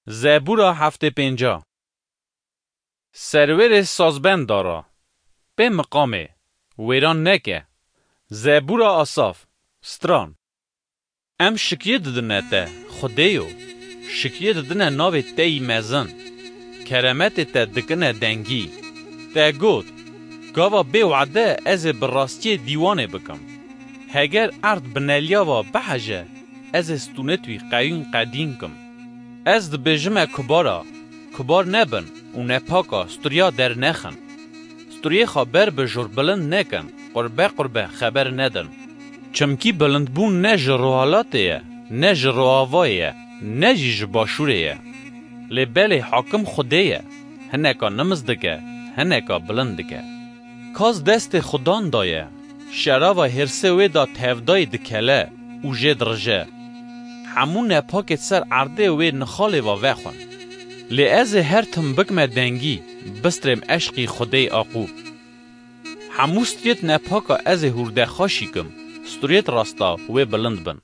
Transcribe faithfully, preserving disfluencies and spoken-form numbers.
Zebûra heftê pênca. Serwêrê sazbenda ra, pê miqamê, wêran neke. Zebûra Asaf, stran. Em şikiyê didine te, Xwedêyo, şikiyê didine navê te yî mezin. Keremetê te dikine dengî. Te got, gava bê wade ez ê bi rastiyê dîwanê bikim. Heger erd bi neliya va biheje, ez ê stûnêt wî qeyûn qedîn kim. Ez dibêjime kubara, kubar nebin û nepaka sturiya dernexin. Sturiyê xwe ber bi jor bilind nekin, qurbe qurbe xeber nedin. Çimkî bilindbûn ne ji rohalatê ye, ne ji roavayê ye, ne jî ji başûrê ye. Lê belê hakim Xwedê ye, hineka nimiz dike, hineka bilind dike. Kas destê Xudan daye, şerava hêrsê wê da tevdayî dikele û jê dirije. Hemû nepakêt ser erdê wê nixalê va vexwin. Lê ez ê her tim bikme dengî, bistrêm eşqî Xwedê Aqûb. Hemû sturiyêt nepaka ez ê hûrdexaşî kim, sturiyêt rasta wê bilind bin.